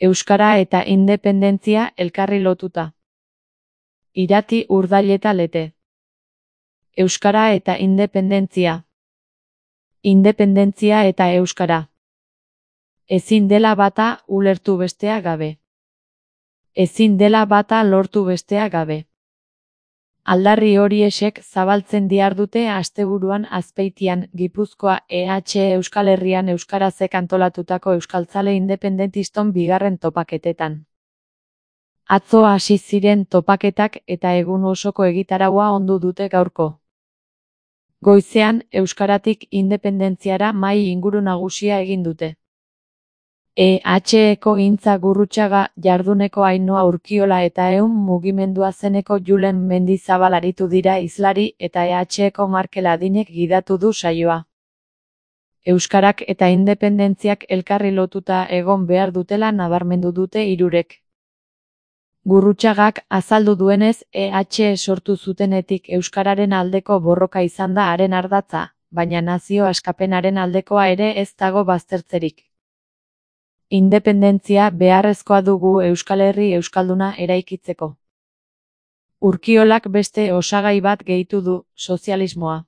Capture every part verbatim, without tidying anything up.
Euskara eta independentzia elkarri lotuta. Irati Urdaileta Lete. Euskara eta independentzia. Independentzia eta euskara. Ezin dela bata ulertu bestea gabe. Ezin dela bata lortu bestea gabe. Aldarri horiexek zabaltzen diardute asteburuan Azpeitian, Gipuzkoa E H Euskal Herrian euskarazek antolatutako euskaltzale independentiston bigarren topaketetan. Atzo hasi ziren topaketak eta egun osoko egitaraua ondu dute gaurko. Goizean, euskaratik independentziara mahai inguru nagusia egin dute. E H-eko Gintza Gurrutxaga, Jarduneko Ainhoa Urkiola eta Ehun mugimendua zeneko Julen Mendizabal aritu dira hizlari eta E H-eko Markel Adinek gidatu du saioa. Euskarak eta independentziak elkarri lotuta egon behar dutela nabarmendu dute hirurek. Gurrutxagak azaldu duenez, E H sortu zutenetik euskararen aldeko borroka izan da haren ardatza, baina nazio askapenaren aldekoa ere ez dago baztertzerik. Independentzia beharrezkoa dugu Euskal Herri euskalduna eraikitzeko. Urkiolak beste osagai bat gehitu du, sozialismoa.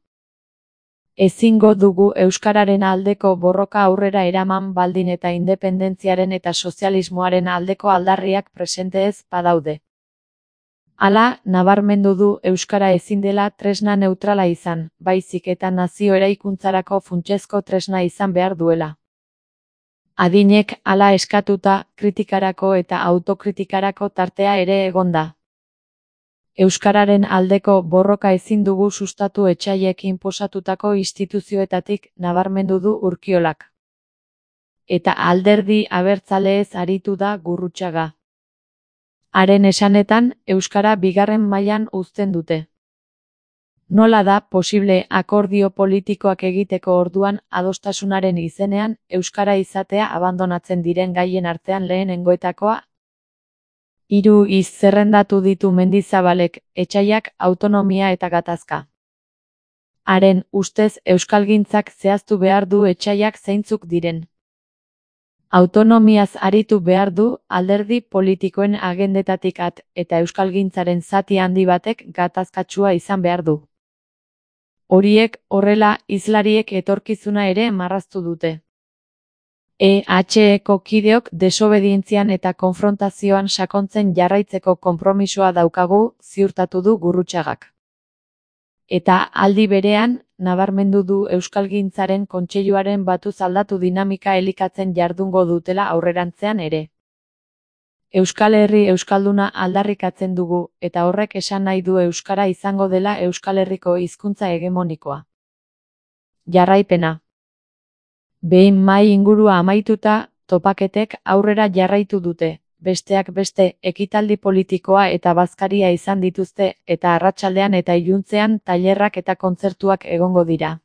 Ezingo dugu euskararen aldeko borroka aurrera eraman baldin eta independentziaren eta sozialismoaren aldeko aldarriak presente ez badaude. Hala, nabarmendu du euskara ezin dela tresna neutrala izan, baizik eta nazio eraikuntzarako funtsezko tresna izan behar duela. Adinek hala eskatuta, kritikarako eta autokritikarako tartea ere egonda. Euskararen aldeko borroka ezin dugu sustatu etsaiek inposatutako instituzioetatik, nabarmendu du Urkiolak. Eta alderdi abertzaleez aritu da Gurrutxaga. Haren esanetan, euskara bigarren mailan uzten dute. Nola da posible akordio politikoak egiteko orduan adostasunaren izenean euskara izatea abandonatzen diren gaien artean lehenengoetakoa? Hiru hitz zerrendatu ditu Mendizabalek, etsaiak, autonomia eta gatazka. Haren ustez euskalgintzak zehaztu behar du etsaiak zeintzuk diren. Autonomiaz aritu behar du alderdi politikoen agendetatik at, eta euskalgintzaren zati handi batek gatazkatsua izan behar du. Horiek, horrela, hizlariek etorkizuna ere marraztu dute. E H-eko kideok desobedientzian eta konfrontazioan sakontzen jarraitzeko konpromisoa daukagu, ziurtatu du Gurrutxagak. Eta aldi berean, nabarmendu du euskalgintzaren kontseiluaren batuz aldatu dinamika elikatzen jardungo dutela aurrerantzean ere. Euskal Herri euskalduna aldarrikatzen dugu, eta horrek esan nahi du euskara izango dela Euskal Herriko hizkuntza hegemonikoa. Jarraipena. Behin mahai ingurua amaituta, topaketek aurrera jarraitu dute, besteak beste ekitaldi politikoa eta bazkaria izan dituzte, eta arratsaldean eta iluntzean tailerrak eta kontzertuak egongo dira.